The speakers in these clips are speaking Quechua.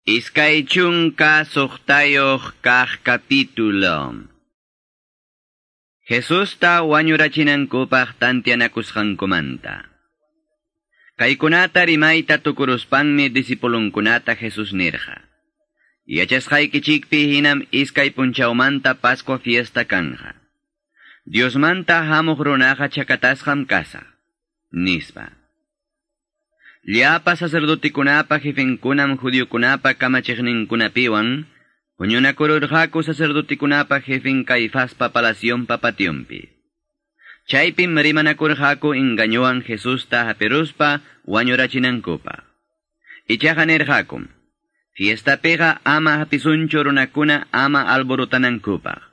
26 kaq capítulo. Jesusta wañurachinankupaq tantianakusqankumanta. Kaykunata rimayta tukuruspanmi discipulunkunata Jesús nirqa. Yachasqaykichikpi hinam iskay punchawmanta Pascua fiesta kanja. Diosmanta hamuq runaqa chakatasqam kasaq, nispa. Llapa sacerdotikunapa jefenkunam judiokunapa kamachiqninkunapiwan huñunakururqaku sacerdotikunapa jefen Caifaspa palacionpa pationpi. Chaypim rimanakurqaku engañowan Jesusta hapiruspa wañurachinankupaq. Ichaqa nirqakum, fiestapiqa ama hapisunchu runakuna ama alborotanankupaq,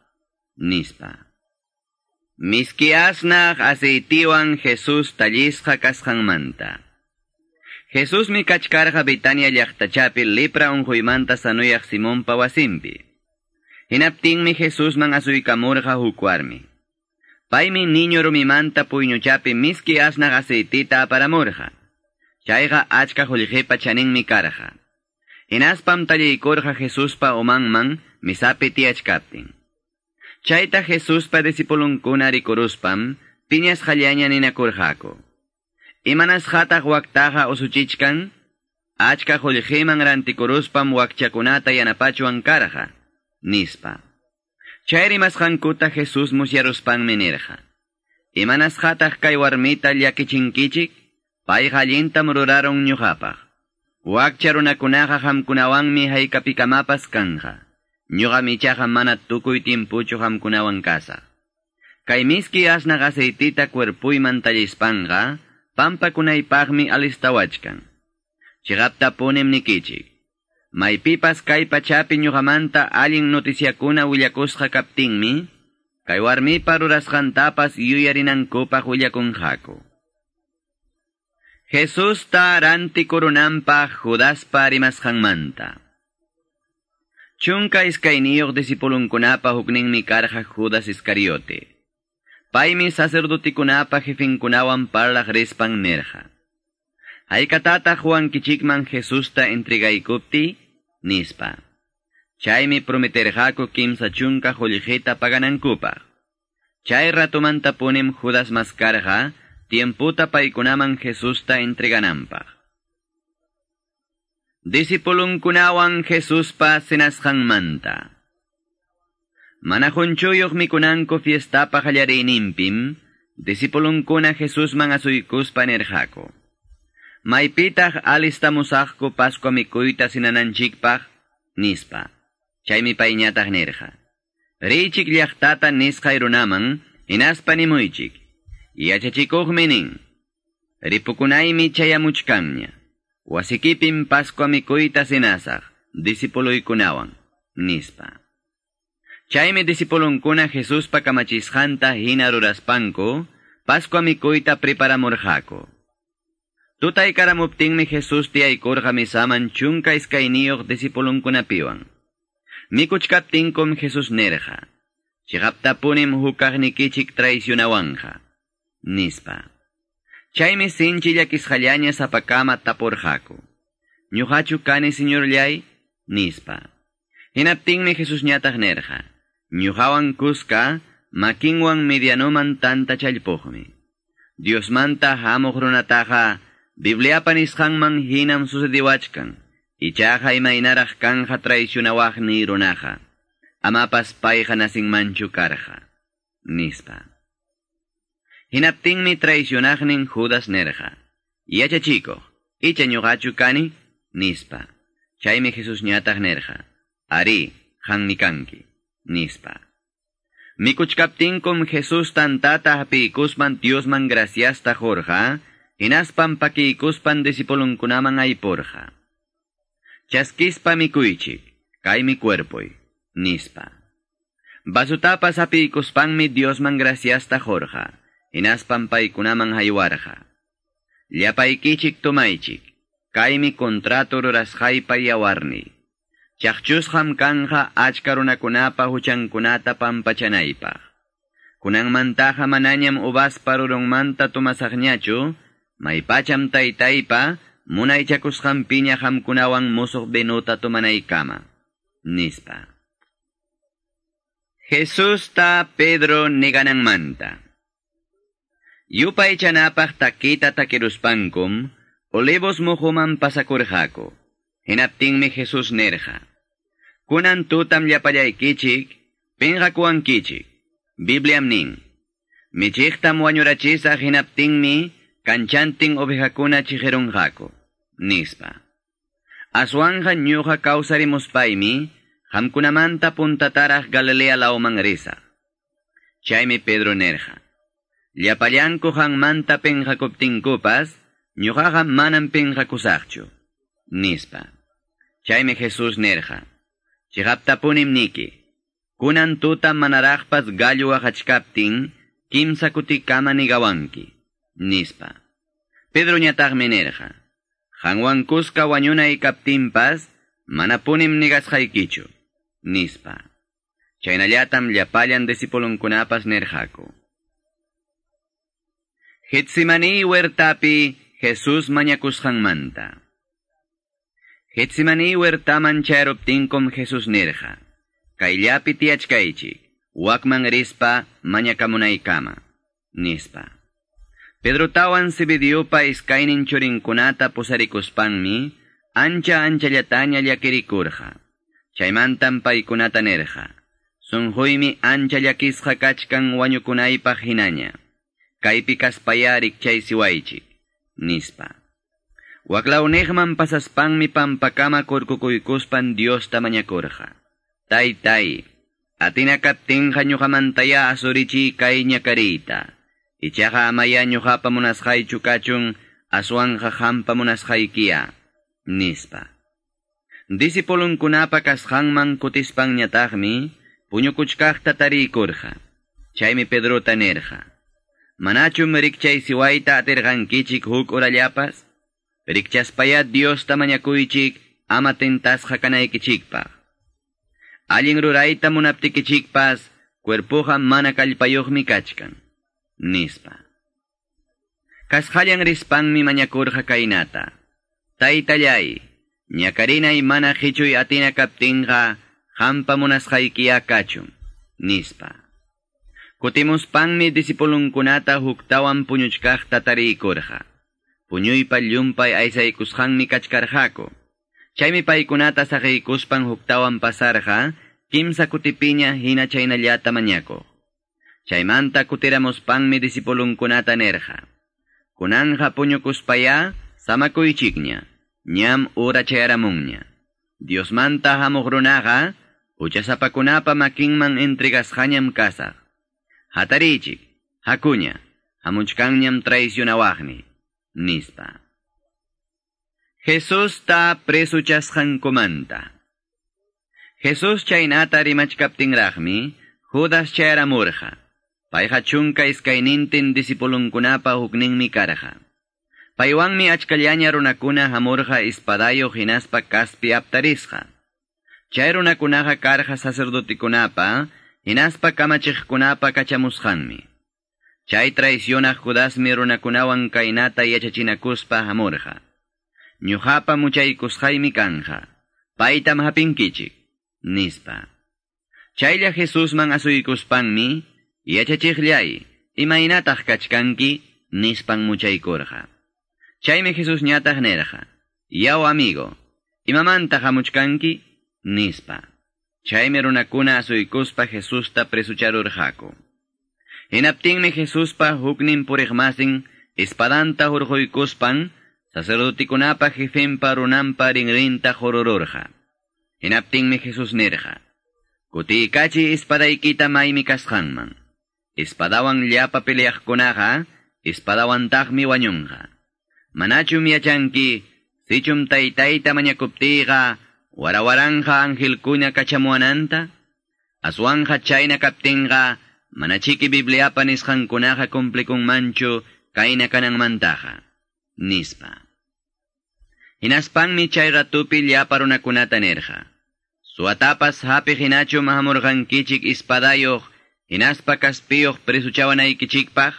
nispa. Miski asnaq aceitiwan Jesús tallisqa kasqanmanta. Jesusmi kachkarqa Betania llaqtachapi lepra unquymanta sanuyaq Simonpa wasinpi. Hinaptinmi Jesusman asuykamurqa huk warmi. Paymi niño rumimanta puyñuchapi miski asnaq aceitita aparamurqa. Chayqa achka qullqipa chaninmi karqa. Hinaspam talliykurqa Jesuspa umanman misapi tiyachkaptin. Chayta Jesuspa discipulunkuna rikuruspam piñasqallaña ninakurqaku. Imanasqataq waktaqa usuchichkan, achka qullqiman rantikuruspam wakchakunata yanapachuwan karqa, nispa. Chay rimasqankuta Jesús musyaruspanmi nirqa. Imanasqataq kay warmita llakichinkichik, payqa allintam rurarun ñuqapaq. Wakcha runakunaqa qamkunawanmi haykapikamapas kanja. Ñuqam ichaqa mana tukuy timpuchu qamkunawan kasaq. Kay miski asnaq aceitita cuerpuyman tallispanqa, pampakunaypaqmi alistawachkan. Chiqaptapunim nikichik. Maypipas kay pachapi ñuqamanta allin noticiakuna willakusqa kaptinmi, kay warmipa rurasqantapas yuyarinankupaq willakunqaku. Jesusta rantikurunanpaq Judaspa rimasqanmanta. 12 discipulunkunapa hukninmi karqa Judas Iscariote. Paymi sacerdotikunapa jefenkunawan parlaq rispan nirqa. Haykatataq Juankichikman Jesusta entregaykupti, nispa. Chaymi prometerqaku 30 qullqita paganankupaq. Chay ratumantapunim Judas maskarqa tiemputa paykunaman Jesusta entregananpaq. Discipulunkunawan Jesuspa cenasqanmanta. Mana qunchuyuq mikunanku fiestapa qallariyninpim, discipulunkuna Jesusman asuykuspa nirqaku. Maypitaq alistamusaqku Pascua mikuyta cenananchikpaq, nispa. Chaymi payñataq nirqa. Riychik llaqtata nisqay runaman, hinaspa nimuychik. Yachachikuqmi nin. Ripukunaymi chayamuchkanña. Wasikipim Pascua mikuyta cenasaq, discipuluykunawan, nispa. Chaymi discipulunkuna Jesuspa kamachisqanta hina ruraspanku, Pascua mikuyta preparamurqaku. Tutaykaramuptinmi Jesús tiyaykurqa misaman 12 discipulunkunapiwan. Mikuchkaptinkum Jesús nirqa, chiqaptapunim hukaqnikichik traicionawanja, nispa. Chaymi sinchi llakisqallaña sapakama tapurqaku. Ñuqachu kani señorllay, nispa. Hinaptinmi Jesusñataq nirqa, ñuqawan kuska makinwan medianoman tanta challpuqmi. Diosmanta hamuq runataqa Bibliapa nisqanman hinam sucediwachkan, ichaqa imaynaraq kanja traicionawaqni runaqa, amapas payqa nasinmanchu karqa, nispa. Hinaptinmi traicionaqnin Judas nirqa, yachachikuq, icha ñuqachu kani, nispa. Chaymi Jesusñataq nirqa, ari, qanmi kanki, nispa. Mikuchkaptinkum Jesús tantata hapiykuspan Diosman graciasta qurqa, hinaspan pakiykuspan discipulunkunaman aypurqa. Chaskispa mikuychik, kaymi cuerpoy, nispa. Vasutapas hapiykuspanmi Diosman graciasta qurqa, hinaspan paykunaman haywarqa. Llapaykichik tomaychik, kaymi contrato rurasqaypa yawarniy. Chaqchusqam kanja achka runakunapa huchankunata pampachanaypaq. Kunanmantaqa manañam uvaspa rurunmanta tomasaqñachu, maypacham taytaypa munaychakusqanpiña qamkunawan musuq vinuta tomanaykama, nispa. Jesusta Pedro negananmanta. Yupaychanapaq takita takiruspankum, Olivos muhuman pasakurqaku. Hinaptinmi Jesús nerqa: Kunan tutam llapallaykichik, pinqakuwankichik. Bibliam nin: Michiqtam wañurachisaq hinaptinmi kanchantin ovejakuna chiqirunqaku, nispa. Aswanja ñuqa kawsarimuspaymi, qamkunamanta puntataraq Galilea lawman risaq. Chaymi Pedro nerqa: Llapallanku qanmanta pinqakuptinkupas, ñuqaqa manam pinqakusaqchu, nispa. Chaymi Jesús nerqa: Chiqaptapunim niki, kunan tuta manaraqpas gallo waqachkaptin, kimsa kutikama nigawanki, nispa. Pedroñataqmi nerqa: Qanwan kuska wañunay kaptinpas, manapunim nigasqaykichu, nispa. Chaynallatam llapallan discipulunkunapas nerqaku. Getsemani huertapi Jesús mañakusqanmanta. Getsemani huertaman chayaruptinkum Jesús nerqa: Kayllapi tiyachkaychik, wakman rispa mañakamunaykama, nispa. Pedrotawan Zebediopa iskaynin churinkunata pusarikuspanmi, ancha anchallataña llakirikurqa. Chaymantam paykunata nerqa: Sunquymi ancha llakisqa kachkan wañukunaypaq hinaña. Kaypi kaspaya rikchaysiwaychik, nispa. Waklawniqman pasaspanmi pampakama kurkukuykuspan Diosta mañakurqa: Taytay, atina kaptinqa ñuqamantaya asurichiy kay ñakariyta. Ichaqa amaya ñuqapa munasqaychu kachun, aswanja qampa munasqaykiya, nispa. Discipulunkunapa kasqanman kutispanñataqmi puñukuchkaqta tariykurqa. Chaymi Pedrota nerqa: Manachum rikchaysiwayta atirqankichik huk urallapas? Rikchaspaya Diosta mañakuychik ama tentasqa kanaykichikpaq. Allin rurayta munaptikichikpas, cuerpuqa mana kallpayuqmi kachkan, nispa. Kasqallan rispanmi mañakurqa kaynata: Taytallay, ñakarinay mana qichuy atina kaptinqa, qampa munasqaykiya kachun, nispa. Kutimuspanmi discipulunkunata huktawan puñuchkaqta tariykurqa. Puñuypa llumpay aysaykusqanmi kachkarqaku. Chaymi paykunata saqiykuspan huktawan pasarqa, kimsa kutipiña hina chaynallata mañakuq. Chaymanta kutiramuspanmi discipulunkunata nerqa: Kunanja puñukuspaya samakuychikña, ñam ura chayaramunña. Diosmanta hamuq runaqa, huchasapakunapa makinman entregasqañam kasaq. Hatarichik, hakuña, hamuchkanñam traicionawaqni, nispa. Jesusta presuchasqankumanta. Jesús chaynata rimachkaptinraqmi, Judas chayaramurqa. Payqa chunka iskaynintin discipulunkunapa hukninmi karqa. Paywanmi achkallaña runakuna hamurqa espadayuq hinaspa kaspi aptarisqa. Chay runakunaqa karqa sacerdotikunapa, hinaspa kamachiqkunapa kachamusqanmi. Chay traicionaq Judasmi runakunawan kaynata yachachinakuspa hamurqa: Ñuqapa muchaykusqaymi kanja, paytam hapinkichik, nispa. Chaylla Jesusman asuykuspanmi, yachachiqllay, imaynataq kachkanki, nispan muchaykurqa. Chaymi Jesusñataq nerqa: Yaw amigo, imamanta hamuchkanki, nispa. Chaymi runakuna asuykuspa Jesusta presucharurqaku. Hinaptinmi Jesuspa huknin puriqmasin espadanta hurquykuspan, sacerdotikunapa jefenpa runanpa rinrinta qurururqa. Hinaptinmi Jesús nerqa: Kutiykachi espadaykita maymi kasqanman. Espadawan llapa peleaqkunaqa, espadawantaqmi wañunqa. Manachum yachanki, sichum taytayta mañakuptiyqa, warawaranja angelkuna kachamuwananta? Aswanja chayna kaptinqa, manachiki Bibliapa nisqankunaqa cumplikunmanchu kayna kananmantaqa, nispa. Hinaspanmi chay ratupi llapa runakunata nerqa: Suwatapas hapiq hinachum hamurqankichik espadayuq, hinaspa kaspiyuq presuchawanaykichikpaq?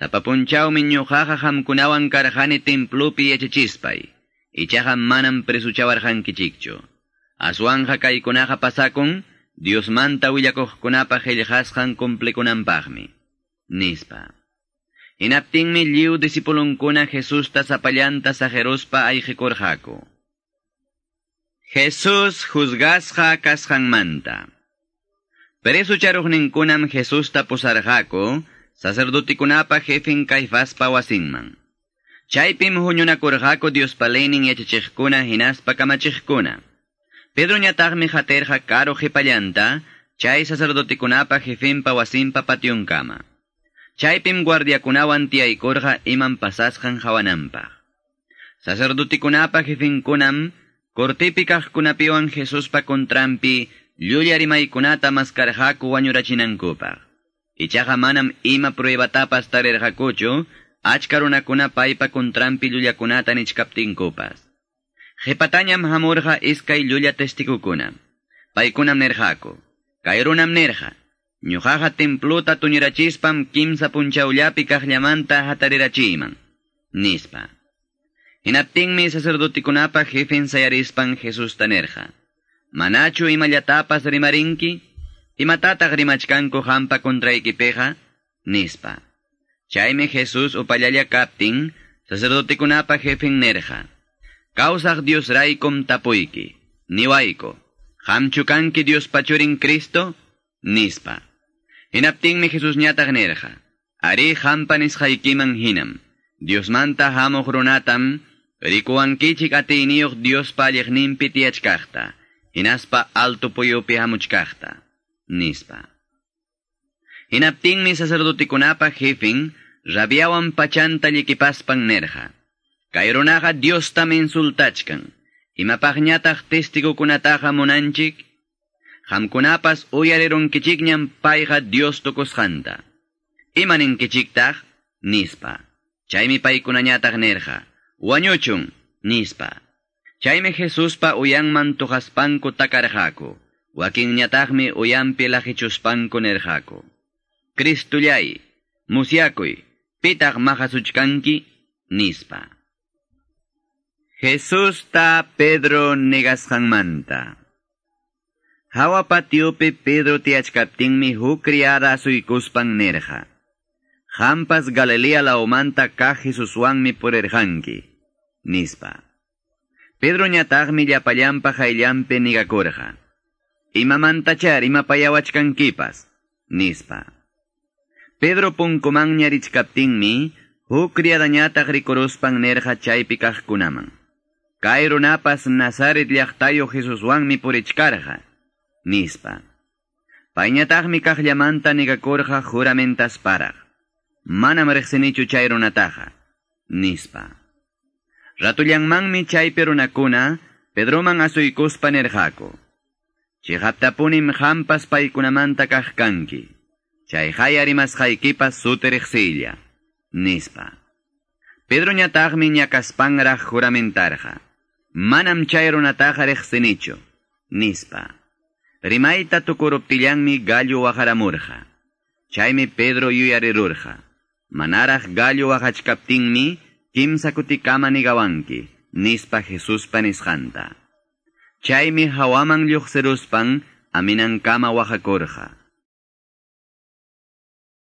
Sapa punchawmi ñuqaqa qamkunawan karqani templopi yachachispay. Ichaqa manam presuchawarqankichikchu. Aswanqa kaykunaqa pasakun Diosmanta willakuqkunapa qillqasqan cumplikunanpaqmi, nispa. Hinaptinmi lliw disipulunkuna Jesusta sapallanta saqiruspa ayqikurqaku. Jesús juzgasqa kasqanmanta. Presucharuqninkunam Jesusta pusarqaku sacerdotikunapa jefin Caifaspa wasinman. Chaypim huñunakurqaku Diospa leynin yachachiqkuna hinaspa kamachiqkuna. Pedroñataqmi qatirqa karu qhipallanta chay sacerdotikunapa jefinpa wasinpa pationkama. Chaypim guardiakunawan tiyaykurqa iman pasasqan hawananpaq. Sacerdotikunapa jefinkunam cortipi kaqkunapiwan Jesuspa contranpi llulla rimaykunata maskarqaku wañurachinankupaq. Ichaqa manam ima pruebatapas tarirqakuchu, achka runakuna paypa contranpi llullakunata nichkaptinkupas. Qhipatañam hamurqa iskay llulla testigukuna. Paykunam nirqaku, kay runam nirqa, ñuqaqa templuta tuñirachispam kimsa punchawllapi kaqllamanta hatarirachiyman, nispa. Hinaptinmi sacerdotikunapa jefen sayarispan Jesusta nirqa, manachu imallatapas rimarinki? Imatataq rimachkanku hampa contraykipiqa? Nispa. Chaymi Jesús upallalla kaptin, sacerdotikunapa jefen nirqa, kawsaq Diosraykum tapuyki, niwayku, qamchu kanki Diospa churin Cristo? Nispa. Hinaptinmi Jesusñataq nirqa, arí hampa nisqaykiman hinam, Diosmanta hamuq runatam, rikuwankichik atiyniyuq Diospa alliqninpi tiyachkaqta, hinaspa alto puyupi hamuchkaqta, nispa. Hinaptinmi sacerdotikunapa jefin, rabiawan pachanta llikipaspan nirqa, kay runaqa Diostam insultachkan, imapaqñataq testigukunataqa munanchik? Qamkunapas uyarirunkichikñam payqa Dios tukusqanta. Imaninkichiktaq? Nispa. Chaymi paykunañataq nirqa, wañuchun, nispa. Chaymi Jesuspa uyanman tuqaspanku takarqaku, wakinñataqmi uyanpi laqichuspanku nirqaku, Cristullay, musyakuy, pitaq maqasuchkanki? Nispa. Jesusta Pedro negasqanmanta. Hawa patiopi Pedro tiyachkaptinmi huk criada asuykuspan nirqa, qampas Galilea lawmanta kaq Jesuswanmi purirqanki, nispa. Pedroñataqmi llapallanpa qayllanpi nigakurqa, imamantachar imapayawachkankipas, nispa. Pedro punkumanña richkaptinmi huk criadañataq rikuruspan nirqa chaypi kaqkunaman, kay runapas Nazaret llaqtayuq Jesuswanmi purichkarqa, nispa. Payñataqmi kaqllamanta nigakurqa juramentasparaq, manam riqsinichu chay runataqa, nispa. Ratullanmanmi chaypi runakuna Pedroman asuykuspa nirqaku, chiqaptapunim qampas paykunamanta kaq kanki, chay haya rimasqaykipas suti riqsiylla, nispa. Pedroñataqmi ñakaspanraq juramentarqa, manam chay runataqa riqsinichu, nispa. Rimayta tukuruptillanmi gallo waqaramurqa. Chaymi Pedro yuyarirurqa, manaraq gallo waqachkaptinmi kimsa kutikama nigawanki, nispa Jesuspa nisqanta. Chaymi hawaman lluqsiruspan aminankama waqakurqa.